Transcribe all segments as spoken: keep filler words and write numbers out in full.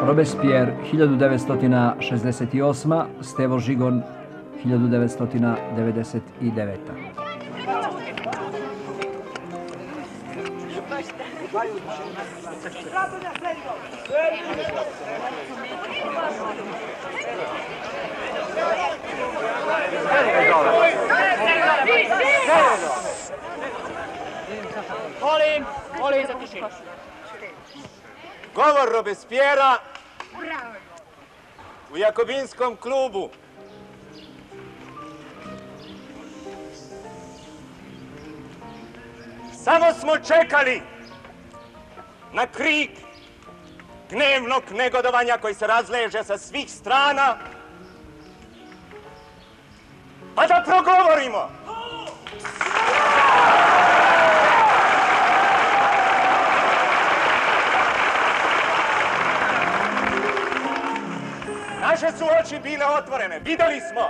Robespierre hiljadu devetsto šezdeset osma. Stevo Žigon hiljadu devetsto devedeset deveta. Molim, molim za tišinu. Govor Robespierra u Jakobinskom klubu. Samo smo čekali na krik gnevnog negodovanja koji se razleže sa svih strana, pa da progovorimo. Naše su oči bile otvorene. Videli smo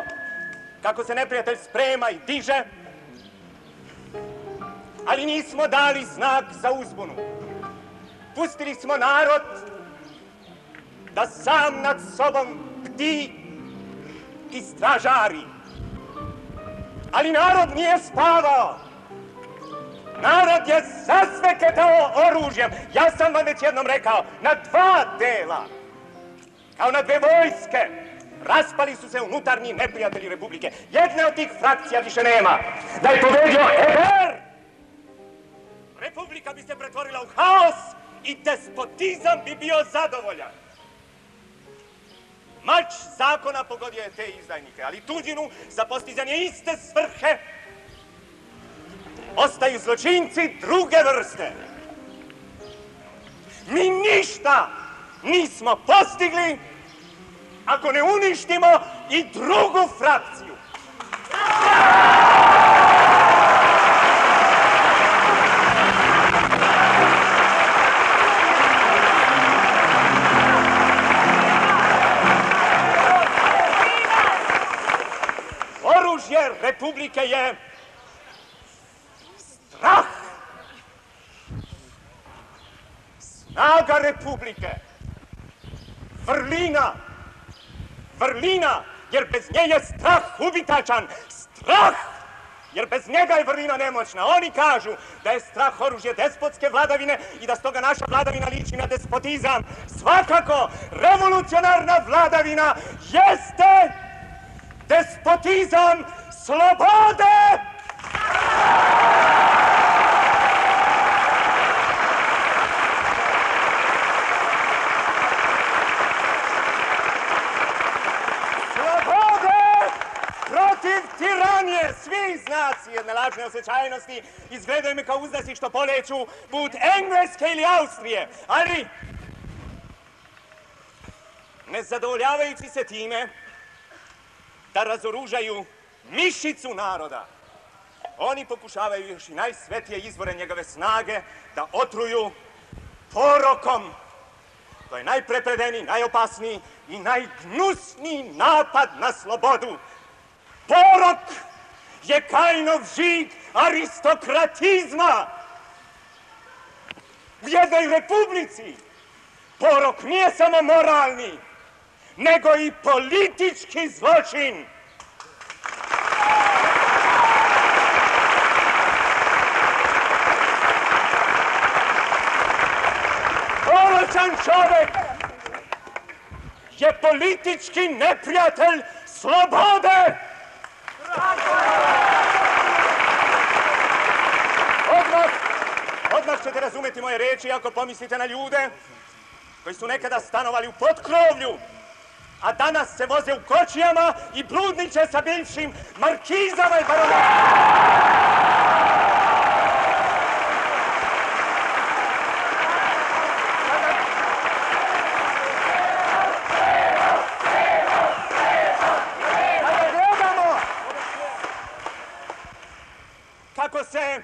kako se neprijatelj sprema i diže, ali nismo dali znak za uzbunu. Pustili smo narod da sam nad sobom bdi i stražari. Ali narod nije spavao. Narod je zasveketao oružjem. Ja sam vam već jednom rekao, na dva dela, kao na dve vojske, raspali su se unutarnji neprijatelji Republike. Jedne od tih frakcija više nema. Da je pobedio Hébert, Republika bi se pretvorila u haos i despotizam bi bio zadovoljan. Mač zakona pogodio je te izdajnike, ali tuđinu za postizanje iste svrhe ostaju zločinci druge vrste. Mi ništa nismo postigli ako ne uništimo i drugu frakciju. Oružje Republike je strah. Snaga Republike, vrlina, vrlina, jer bez nje je strah ubitačan. Strah, jer bez njega je vrlina nemoćna. Oni kažu da je strah oružje despotske vladavine i da stoga naša vladavina liči na despotizam. Svakako, revolucionarna vladavina jeste despotizam slobode! Tiranije, svi znaci jedne lažne osjećajnosti izgledaju me kao uzdasi što poleću put Engleske ili Austrije, ali ne zadovoljavajući se time da razoružaju mišicu naroda, oni pokušavaju još i najsvetije izvore njegove snage da otruju porokom. To je najprepredeniji, najopasniji i najgnusniji napad na slobodu. Porok je Kainov žig aristokratizma. U jednoj republici porok nije samo moralni, nego i politički zločin. Poročan čovek je politički neprijatelj slobode. Odmah, odmah ćete razumeti moje reči ako pomislite na ljude koji su nekada stanovali u potkrovlju, a danas se voze u kočijama i bludniče sa bivšim markizama i baronama. Kako se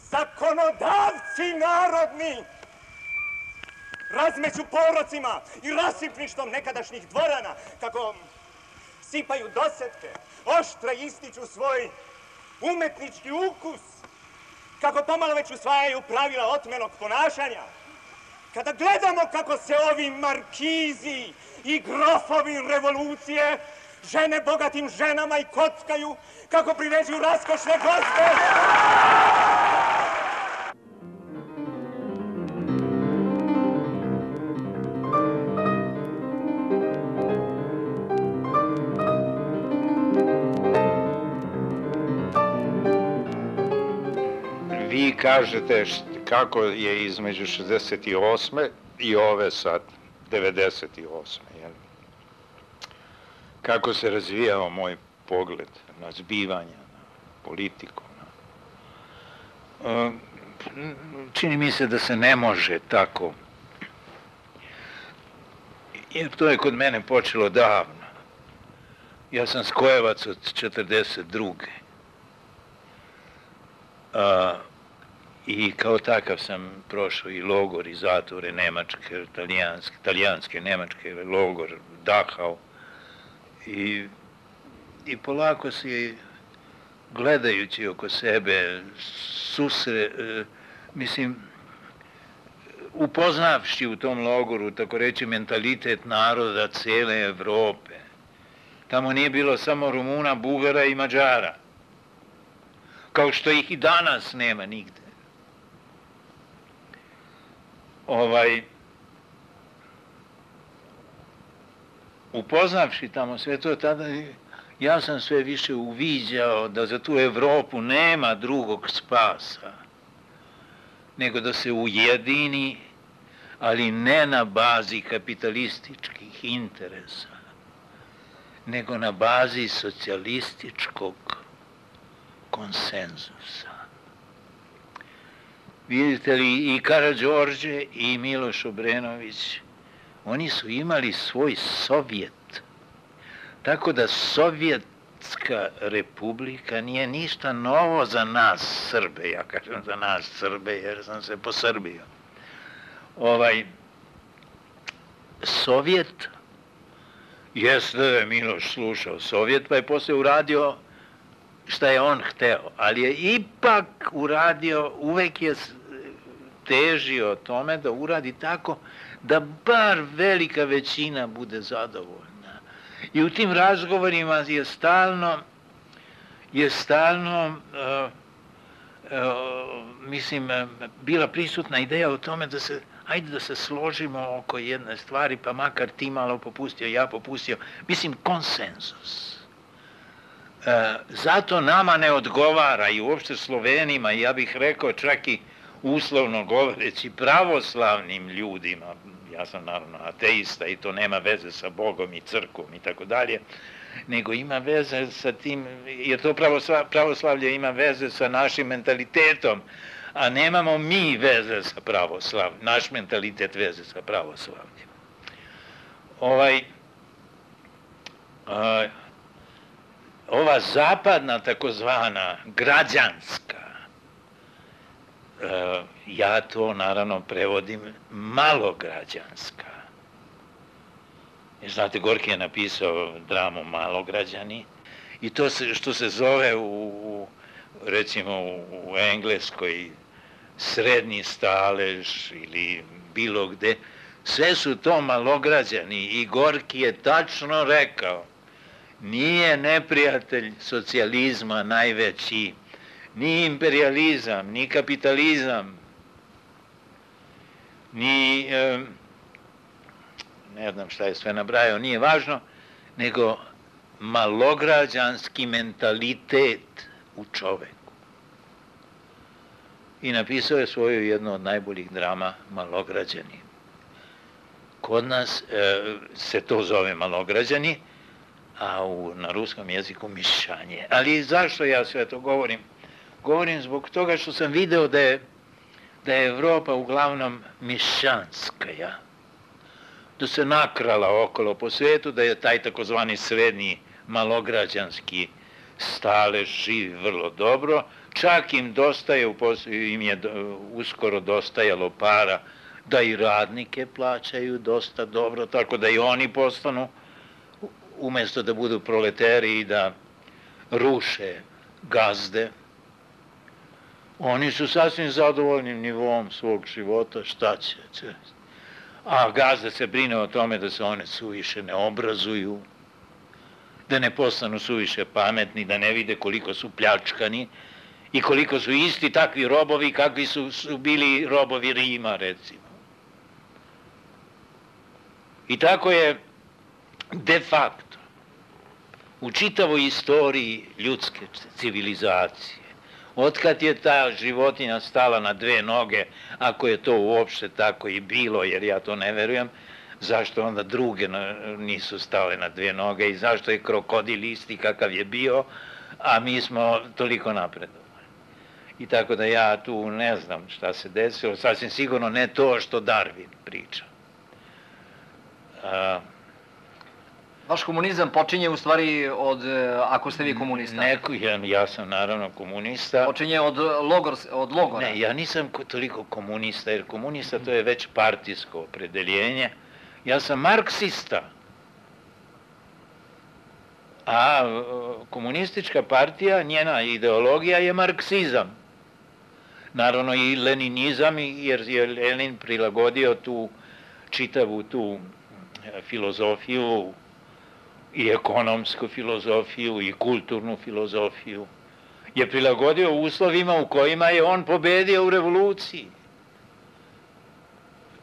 zakonodavci narodni razmeću porocima i rasipništvom nekadašnjih dvorana, kako sipaju dosetke, oštre ističu svoj umetnički ukus, kako pomalo već usvajaju pravila otmenog ponašanja. kada gledamo kako se ovi markizi i grofovi revolucije žene bogatim ženama i kockaju, kako priređuju raskošne gozbe. Vi kažete kako je između šezdeset osme i ove sad, devedeset osme. Jel? Kako se razvijao moj pogled na zbivanja, na politiku. Na... Čini mi se da se ne može tako. Jer to je kod mene počelo davno. Ja sam skojevac od četrdeset druge. A, i kao takav sam prošao i logor i zatvore nemačke, talijanske, talijanske, nemačke, logor, Dachau. I, i polako si, gledajući oko sebe, susre, e, mislim, upoznavši u tom logoru, tako reći, mentalitet naroda cele Evrope. Tamo nije bilo samo Rumuna, Bugara i Mađara. Kao što ih i danas nema nigde. Ovaj, upoznavši tamo sve to, tada ja sam sve više uviđao da za tu Evropu nema drugog spasa, nego da se ujedini, ali ne na bazi kapitalističkih interesa, nego na bazi socijalističkog konsenzusa. Vidite li, i Karađorđe i Miloš Obrenović, oni su imali svoj Sovjet. Tako da Sovjetska republika nije ništa novo za nas Srbe. Ja kažem za nas Srbe jer sam se posrbio. Ovaj, Sovjet, jeste da je Miloš slušao Sovjet, pa je poslije uradio šta je on hteo, ali je ipak uradio, uvek je težio tome da uradi tako da bar velika većina bude zadovoljna. I u tim razgovorima je stalno, je stalno, uh, uh, mislim, bila prisutna ideja o tome da se, ajde da se složimo oko jedne stvari, pa makar ti malo popustio, ja popustio, mislim, konsenzus. E, zato nama ne odgovara i uopšte Slovenima, ja bih rekao čak i uslovno govoreći pravoslavnim ljudima, ja sam naravno ateista i to nema veze sa Bogom i crkvom i tako dalje, nego ima veze sa tim, jer to pravoslavlje ima veze sa našim mentalitetom, a nemamo mi veze sa pravoslavljem, naš mentalitet veze sa pravoslavljem. Ovaj... A, ova zapadna takozvana građanska, ja to naravno prevodim malograđanska. Znate, Gorki je napisao dramu Malograđani i to se, što se zove u, recimo u Engleskoj srednji stalež ili bilo gde, sve su to malograđani i Gorki je tačno rekao: nije neprijatelj socijalizma najveći, ni imperializam, ni kapitalizam, ni, e, ne znam šta je sve nabrajao, nije važno, nego malograđanski mentalitet u čoveku. I napisao je svoju jednu od najboljih drama, Malograđani. Kod nas e, se to zove Malograđani, a u, na ruskom jeziku mišanje. Ali zašto ja sve to govorim? Govorim zbog toga što sam video da je, da je Evropa uglavnom mišanska, ja? Da se nakrala okolo po svetu, da je taj takozvani srednji malograđanski stalež živi vrlo dobro, čak im dostaje, im je uskoro dostajalo para da i radnike plaćaju dosta dobro, tako da i oni postanu, umjesto da budu proleteri i da ruše gazde, oni su sasvim zadovoljnim nivom svog života, šta će. a gazda se brine o tome da se one suviše ne obrazuju, da ne postanu suviše pametni, da ne vide koliko su pljačkani i koliko su isti takvi robovi kakvi su, su bili robovi Rima, recimo. I tako je de facto u čitavoj istoriji ljudske civilizacije, otkad je ta životinja stala na dve noge, ako je to uopšte tako i bilo, jer ja to ne verujem, zašto onda druge nisu stale na dve noge i zašto je krokodil isti kakav je bio, a mi smo toliko napredovali. I tako da ja tu ne znam šta se desilo, sasvim sigurno ne to što Darwin priča. A, Vaš komunizam počinje u stvari od, ako ste vi komunista? Neko, ja, ja sam naravno komunista. Počinje od, logor, od logora? Ne, ja nisam toliko komunista, jer komunista to je već partijsko opredeljenje. Ja sam marksista. A komunistička partija, njena ideologija je marksizam. Naravno i leninizam, jer je Lenin prilagodio tu čitavu tu filozofiju, i ekonomsku filozofiju, i kulturnu filozofiju, je prilagodio uslovima u kojima je on pobedio u revoluciji.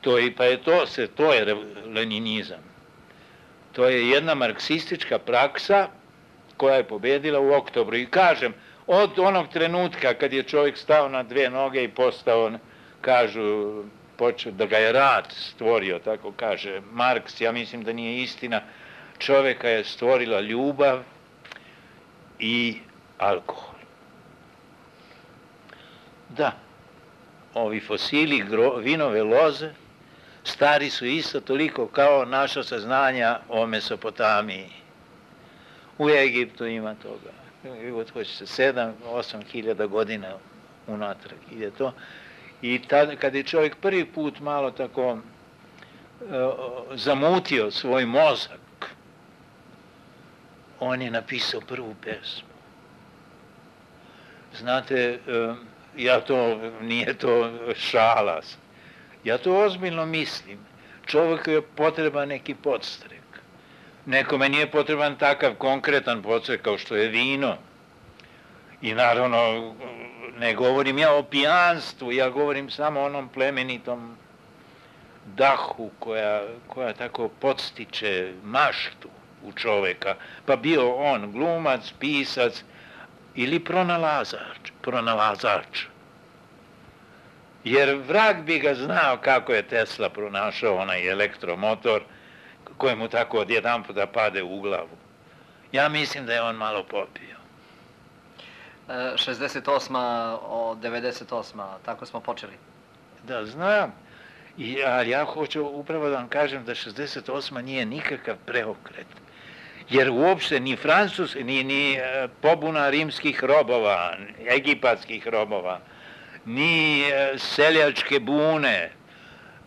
To je, pa je to, se, to je leninizam. To je jedna marksistička praksa koja je pobedila u oktobru. I kažem, od onog trenutka kad je čovjek stao na dve noge i postao, kažu, počeo da ga je rad stvorio, tako kaže Marks, ja mislim da nije istina, čovjeka je stvorila ljubav i alkohol. Da, ovi fosili vinove loze stari su isto toliko kao naša saznanja o Mesopotamiji. U Egiptu ima toga. Hoće se sedam, osam hiljada godina unatrag ide to. I tada, kad je čovjek prvi put malo tako uh, zamutio svoj mozak, on je napisao prvu pesmu. Znate, uh, ja to, nije to šala, ja to ozbiljno mislim. Čovjeku je potreban neki podstrek. Nekome nije potreban takav konkretan podstrek kao što je vino. I naravno, ne govorim ja o pijanstvu, ja govorim samo o onom plemenitom dahu koja, koja tako podstiče maštu u čoveka. Pa bio on glumac, pisac ili pronalazač, pronalazač. Jer vrag bi ga znao kako je Tesla pronašao onaj elektromotor kojemu tako odjedan puta pade u glavu. Ja mislim da je on malo popio. šezdeset osma od devedeset osma, tako smo počeli. Da, znam. I, ali ja hoću upravo da vam kažem da šezdeset osma nije nikakav preokret. Jer uopšte ni Francus, ni, ni pobuna rimskih robova, egipatskih robova, ni seljačke bune,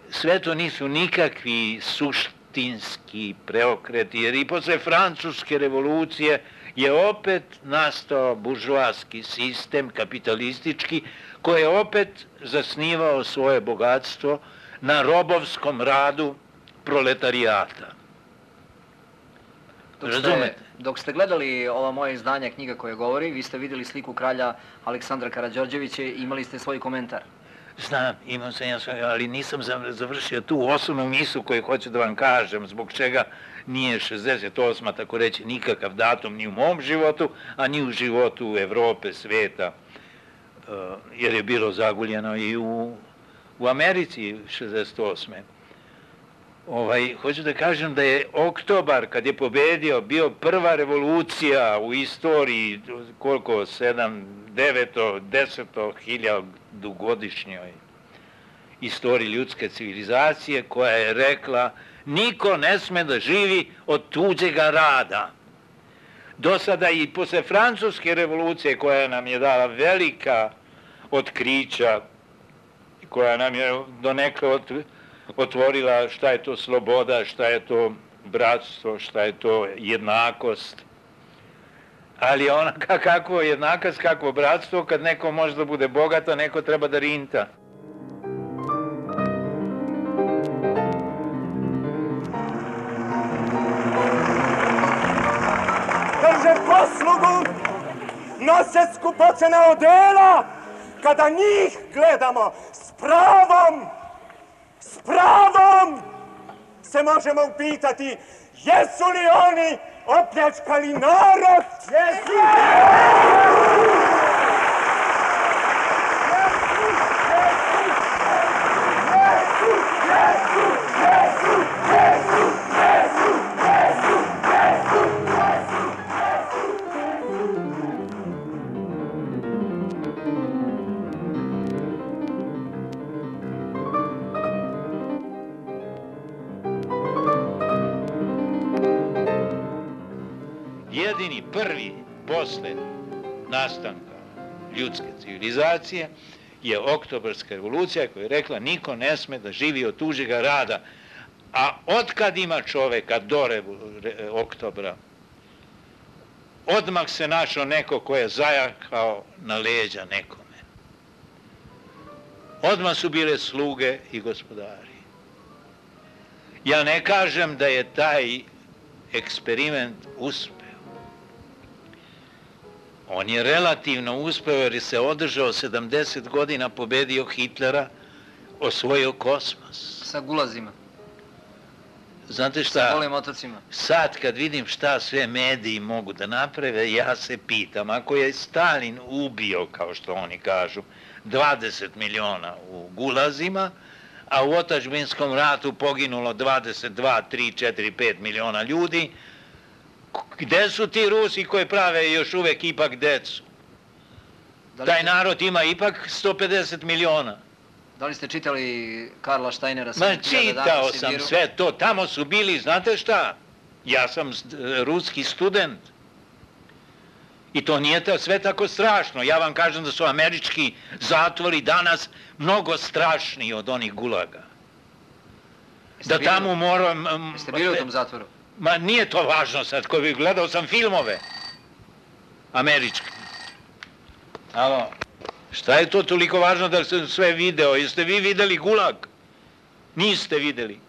sve to nisu nikakvi suštinski preokreti, jer i posle francuske revolucije je opet nastao buržoaski sistem, kapitalistički, koji je opet zasnivao svoje bogatstvo na robovskom radu proletarijata. Dok ste, dok ste gledali ova moja izdanja knjiga koja govori, vi ste vidjeli sliku kralja Aleksandra Karađorđevića i imali ste svoj komentar. Znam, imam sam ja svoj, ali nisam završio tu osnovnu misu koju hoću da vam kažem, zbog čega nije šezdeset osma, tako reći, nikakav datum ni u mom životu, a ni u životu Evrope, sveta, jer je bilo zaguljeno i u, u Americi šezdeset osme. Ovaj, hoću da kažem da je oktobar, kad je pobedio, bio prva revolucija u istoriji, koliko, sedam, deveto, deseto hiljadu godišnjoj istoriji ljudske civilizacije, koja je rekla niko ne sme da živi od tuđega rada. Do sada i posle francuske revolucije, koja nam je dala velika otkrića, koja nam je donekle od otvorila šta je to sloboda, šta je to bratstvo, šta je to jednakost. Ali ona kakvo jednakost, kakvo bratstvo, kad neko može da bude bogat, a neko treba da rinta. zaslugu nose skupocena odela, kada njih gledamo s pravom, s pravom se možemo upitati jesu li oni opljačkali narod? Jesu! Jedini prvi posle nastanka ljudske civilizacije je Oktobarska revolucija koja je rekla niko ne sme da živi od tuđega rada. A otkad ima čoveka do Oktobra, odmah se našao neko ko je zajakao na leđa nekome. Odmah su bile sluge i gospodari. Ja ne kažem da je taj eksperiment uspeo. On je relativno uspeo jer se održao sedamdeset godina, pobedio Hitlera, osvojio kosmos. Sa gulazima. Znate šta? Sa golim otocima. Sad kad vidim šta sve mediji mogu da naprave, ja se pitam, ako je Stalin ubio, kao što oni kažu, dvadeset miliona u gulazima, a u otadžbinskom ratu poginulo dvadeset dva, tri, četiri, pet miliona ljudi, gde su ti Rusi koji prave još uvek ipak decu? Taj narod ima ipak sto pedeset miliona. Da li ste čitali Karla Steinera? Ma čitao sam sve to, tamo su bili, znate šta? Ja sam ruski student. I to nije sve tako strašno. Ja vam kažem da su američki zatvori danas mnogo strašniji od onih gulaga. Da tamo moram... Jeste bili u tom zatvoru? Ma nije to važno sad, koji bih gledao sam filmove. Američki. Alo, šta je to toliko važno da sam sve video? Jeste vi videli gulag? Niste videli.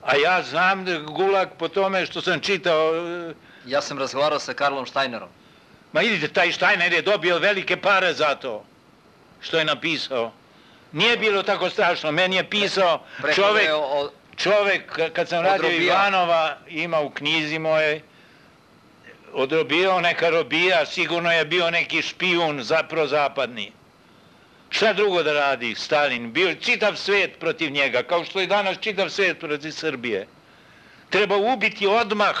A ja znam da gulag po tome što sam čitao... Ja sam razgovarao sa Karlom Steinerom. Ma idite, taj Steiner je dobio velike pare za to što je napisao. Nije bilo tako strašno, meni je pisao čovek... Čovek, kad sam radio Ivanova, ima u knjizi moje, odrobijao neka robija, sigurno je bio neki špijun prozapadni. Šta drugo da radi Stalin? Bio čitav svet protiv njega, kao što je danas čitav svet protiv Srbije. Treba ubiti odmah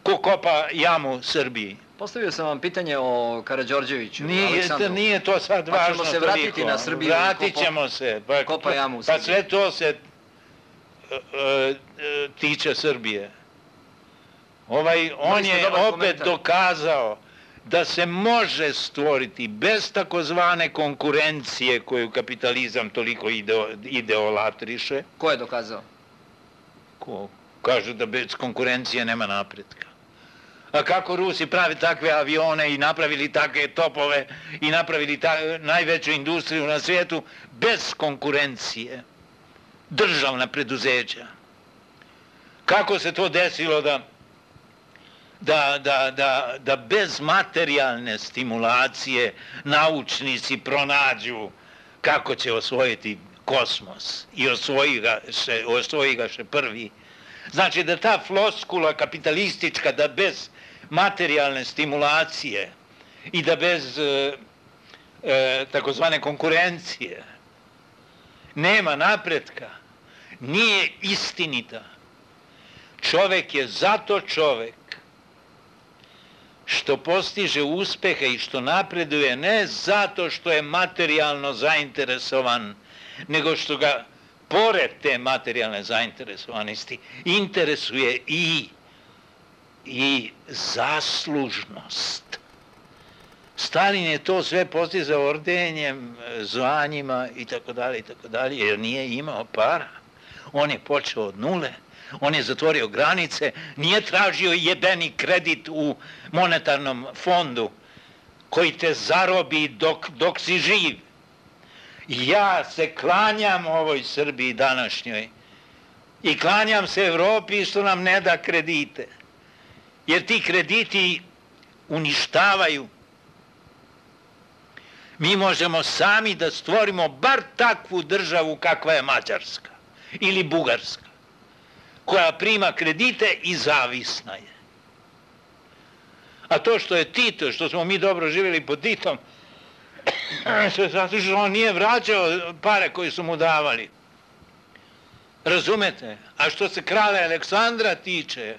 ko kopa jamu Srbiji. Postavio sam vam pitanje o Karađorđeviću, Aleksandru. Nije to sad važno toliko. Pa ćemo se vratiti na Srbiju. Vratit ćemo se. Kopa jamu u Srbiji. Pa sve to se... tiče Srbije. Ovaj, on je opet dokazao da se može stvoriti bez takozvane konkurencije koju kapitalizam toliko ideolatriše. Ko je dokazao? Ko? Kažu da bez konkurencije nema napretka. A kako Rusi pravi takve avione i napravili takve topove i napravili najveću industriju na svijetu bez konkurencije? Državna preduzeća. Kako se to desilo da, da, da, da, da bez materijalne stimulacije naučnici pronađu kako će osvojiti kosmos i osvoji ga še, osvoji ga še prvi. Znači da ta floskula kapitalistička, da bez materijalne stimulacije i da bez e, e, takozvane konkurencije nema napretka, nije istinita. Čovek je zato čovek što postiže uspehe i što napreduje ne zato što je materijalno zainteresovan, nego što ga, pored te materijalne zainteresovanosti, interesuje i, i zaslužnost. Stalin je to sve postizao ordenjem, zvanjima i tako dalje i tako dalje, jer nije imao para. On je počeo od nule, on je zatvorio granice, nije tražio jebeni kredit u monetarnom fondu koji te zarobi dok, dok si živ. Ja se klanjam ovoj Srbiji današnjoj i klanjam se Evropi što nam ne da kredite. jer ti krediti uništavaju. Mi možemo sami da stvorimo bar takvu državu kakva je Mađarska ili Bugarska, koja prima kredite i zavisna je. A to što je Tito, što smo mi dobro živjeli pod Titom, zato što on nije vraćao pare koje su mu davali. Razumete? A što se kralja Aleksandra tiče,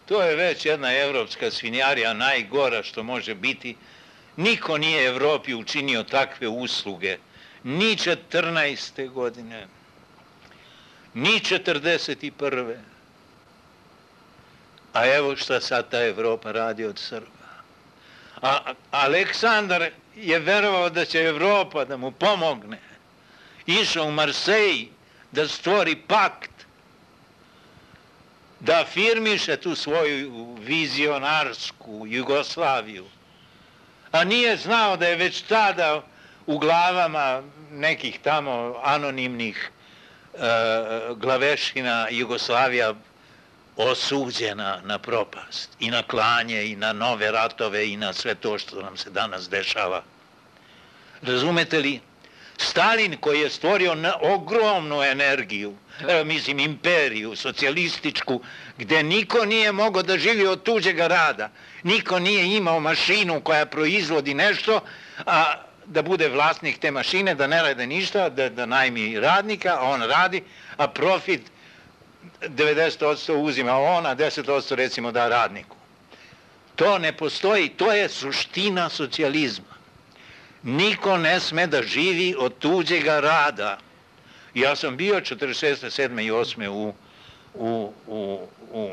to je već jedna evropska svinjarija, najgora što može biti. Niko nije Evropi učinio takve usluge, ni četrnaeste godine, ni četrdeset prve. A evo šta sad ta Evropa radi od Srba. A Aleksandar je verovao da će Evropa da mu pomogne. Išao u Marseji da stvori pakt, da afirmiše tu svoju vizionarsku Jugoslaviju. A nije znao da je već tada u glavama nekih tamo anonimnih e, glavešina Jugoslavija osuđena na propast i na klanje i na nove ratove i na sve to što nam se danas dešava. Razumete li? Stalin koji je stvorio ogromnu energiju, e, mislim imperiju, socijalističku, gde niko nije mogao da živi od tuđega rada, niko nije imao mašinu koja proizvodi nešto, a da bude vlasnik te mašine, da ne rade ništa, da, da najmi radnika, a on radi, a profit devedeset posto uzima on, a deset posto recimo da radniku. To ne postoji, to je suština socijalizma. Niko ne sme da živi od tuđega rada. Ja sam bio četrdeset šeste, sedme i osme u, u, u, u,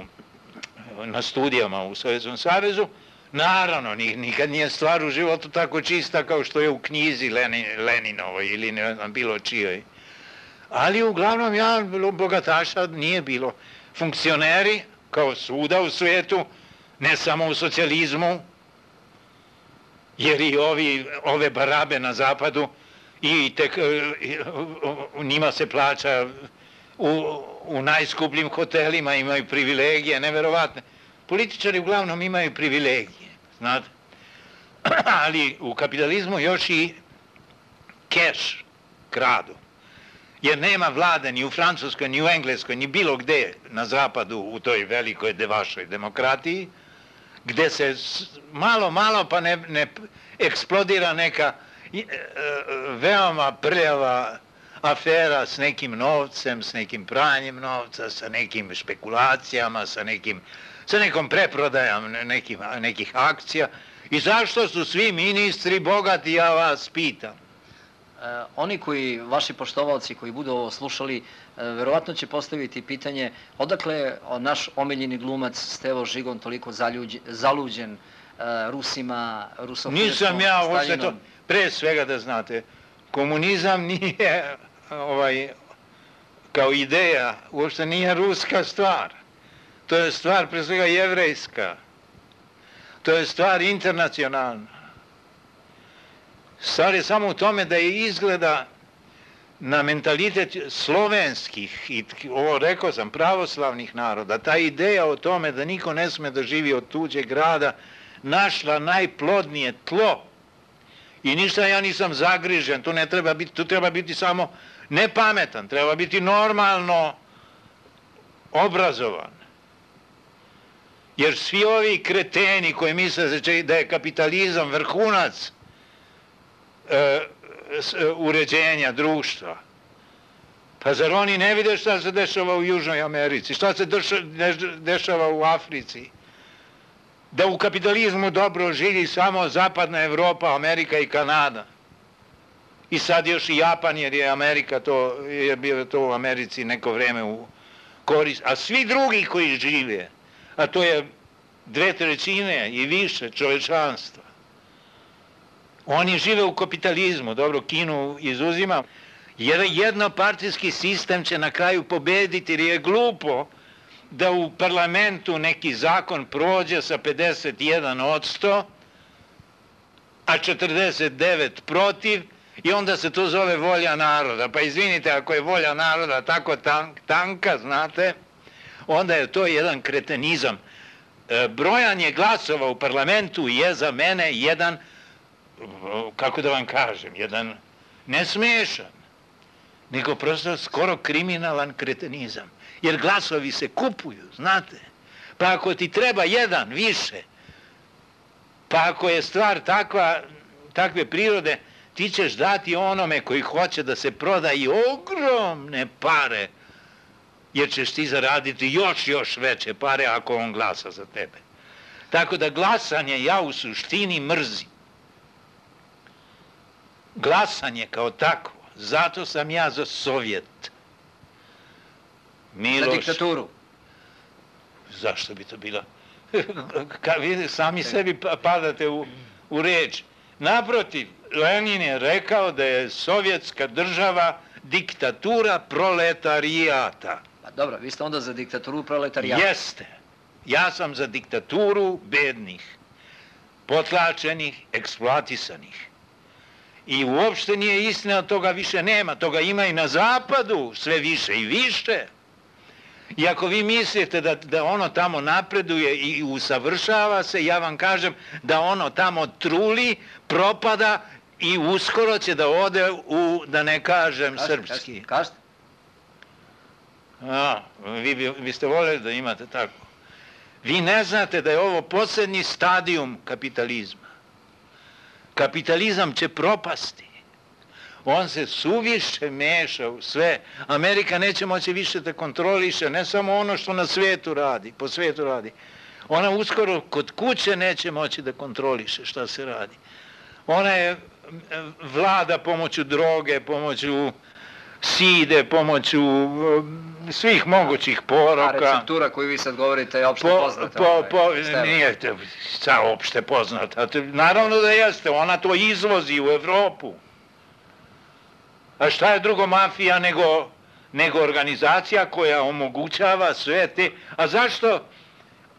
na studijama u Sovjetskom savezu. Naravno, nikad nije stvar u životu tako čista kao što je u knjizi Lenin, Leninovoj ili ne znam, bilo čijoj. Ali uglavnom ja, bogataša nije bilo. Funkcioneri, kao svuda u svijetu, ne samo u socijalizmu, jer i ovi, ove barabe na zapadu, i tek, njima se plaća u, u najskupljim hotelima, imaju privilegije, neverovatne. Političari uglavnom imaju privilegije, znate. Ali u kapitalizmu još i keš kradu. Jer nema vlade ni u Francuskoj, ni u Engleskoj, ni bilo gde na zapadu u toj velikoj vašoj demokratiji, gde se malo, malo pa ne, ne eksplodira neka veoma prljava afera s nekim novcem, s nekim pranjem novca, sa nekim špekulacijama, sa, nekim, sa nekom preprodajom nekim, nekih akcija. I zašto su svi ministri bogati, ja vas pitam? E, oni koji, vaši poštovalci koji budu ovo slušali, e, verovatno će postaviti pitanje odakle je naš omiljeni glumac Stevo Žigon toliko zaljuđen, zaluđen e, Rusima, rusofilskom, Nisam ja, uopšte to, pre svega da znate, komunizam nije ovaj, kao ideja, uopšte nije ruska stvar. To je stvar pre svega jevrejska. To je stvar internacionalna. Stvar je samo u tome da je izgleda na mentalitet slovenskih, i ovo rekao sam, pravoslavnih naroda, ta ideja o tome da niko ne sme da živi od tuđeg grada, našla najplodnije tlo. I ništa ja nisam zagrižen, tu ne treba biti, tu treba biti samo nepametan, treba biti normalno obrazovan. Jer svi ovi kreteni koji misle da je kapitalizam vrhunac e, uređenja društva, pa zar oni ne vide šta se dešava u Južnoj Americi, šta se dešava u Africi? Da u kapitalizmu dobro živi samo zapadna Evropa, Amerika i Kanada. I sad još i Japan, jer je Amerika to, je bio to u Americi neko vreme u korist. A svi drugi koji žive, a to je dve trećine i više čovečanstva, oni žive u kapitalizmu, dobro, Kinu izuzima, jer jednopartijski sistem će na kraju pobediti, jer je glupo da u parlamentu neki zakon prođe sa pedeset jedan odsto, a četrdeset devet protiv, i onda se to zove volja naroda. Pa izvinite, ako je volja naroda tako tanka, znate, onda je to jedan kretenizam. brojanje glasova u parlamentu je za mene jedan, kako da vam kažem, jedan ne smešan, nego prosto skoro kriminalan kretenizam. Jer glasovi se kupuju, znate. Pa ako ti treba jedan više, pa ako je stvar takva, takve prirode, ti ćeš dati onome koji hoće da se proda i ogromne pare, jer ćeš ti zaraditi još, još veće pare ako on glasa za tebe. Tako da glasanje ja u suštini mrzim. Glasanje kao takvo, zato sam ja za Sovjet. Miloš, za diktaturu. Zašto bi to bilo? Vi sami sebi padate u, u reč. Naprotiv, Lenin je rekao da je sovjetska država diktatura proletarijata. Pa dobro, vi ste onda za diktaturu proletarijata. Jeste. Ja sam za diktaturu bednih, potlačenih, eksploatisanih. I uopšte nije istina, toga više nema. Toga ima i na zapadu, sve više i više. I ako vi mislite da, da ono tamo napreduje i usavršava se, ja vam kažem da ono tamo truli, propada i uskoro će da ode u, da ne kažem, kažete, srpski. Kažete? A, vi bi, biste voljeli da imate tako. Vi ne znate da je ovo posljednji stadijum kapitalizma. Kapitalizam će propasti. On se suviše meša u sve. Amerika neće moći više da kontroliše, ne samo ono što na svijetu radi, po svijetu radi. Ona uskoro kod kuće neće moći da kontroliše šta se radi. Ona je vlada pomoću droge, pomoću side, pomoću svih mogućih poroka. A receptura koju vi sad govorite je opšte po, poznata. Po, po, nije sa opšte poznata. Naravno da jeste, ona to izvozi u Evropu. A šta je drugo mafija nego, nego organizacija koja omogućava sve te... A zašto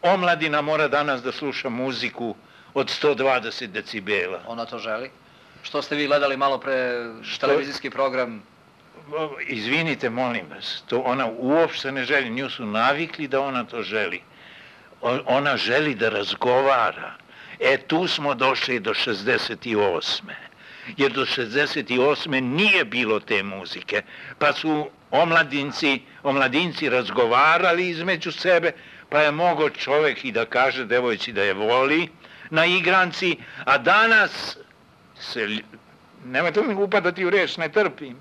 omladina mora danas da sluša muziku od sto dvadeset decibela? Ona to želi. Što ste vi gledali malo pre što... televizijski program? Izvinite, molim vas, to ona uopšte ne želi, nju su navikli da ona to želi. Ona želi da razgovara. E, tu smo došli do šezdeset osme Jer do šezdeset osme nije bilo te muzike, pa su omladinci, omladinci razgovarali između sebe, pa je mogao čovjek i da kaže devojci da je voli na igranci, a danas se, nemojte mi upadati u reč, ne trpim.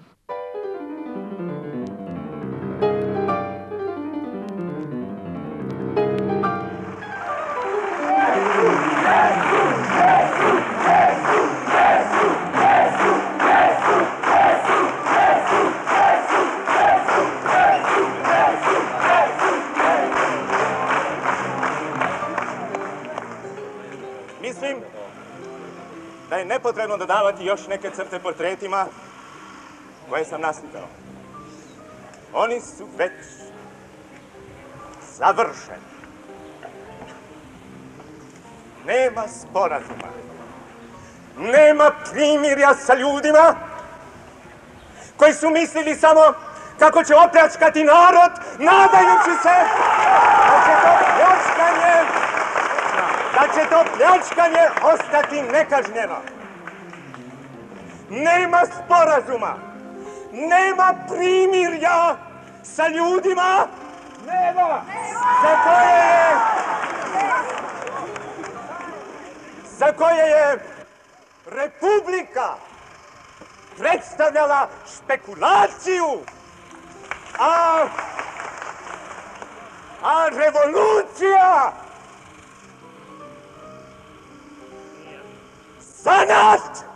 Mislim da je nepotrebno dodavati još neke crte portretima koje sam naslikao. Oni su već završeni. Nema sporazuma. Nema primirja sa ljudima koji su mislili samo kako će opljačkati narod, nadajući se da će to pljačkanje, da će to pljačkanje ostati nekažnjeno. Nema sporazuma, nema primirja sa ljudima nema. Za koje je, za koje je Republika predstavljala špekulaciju, a, a revolucija zanat.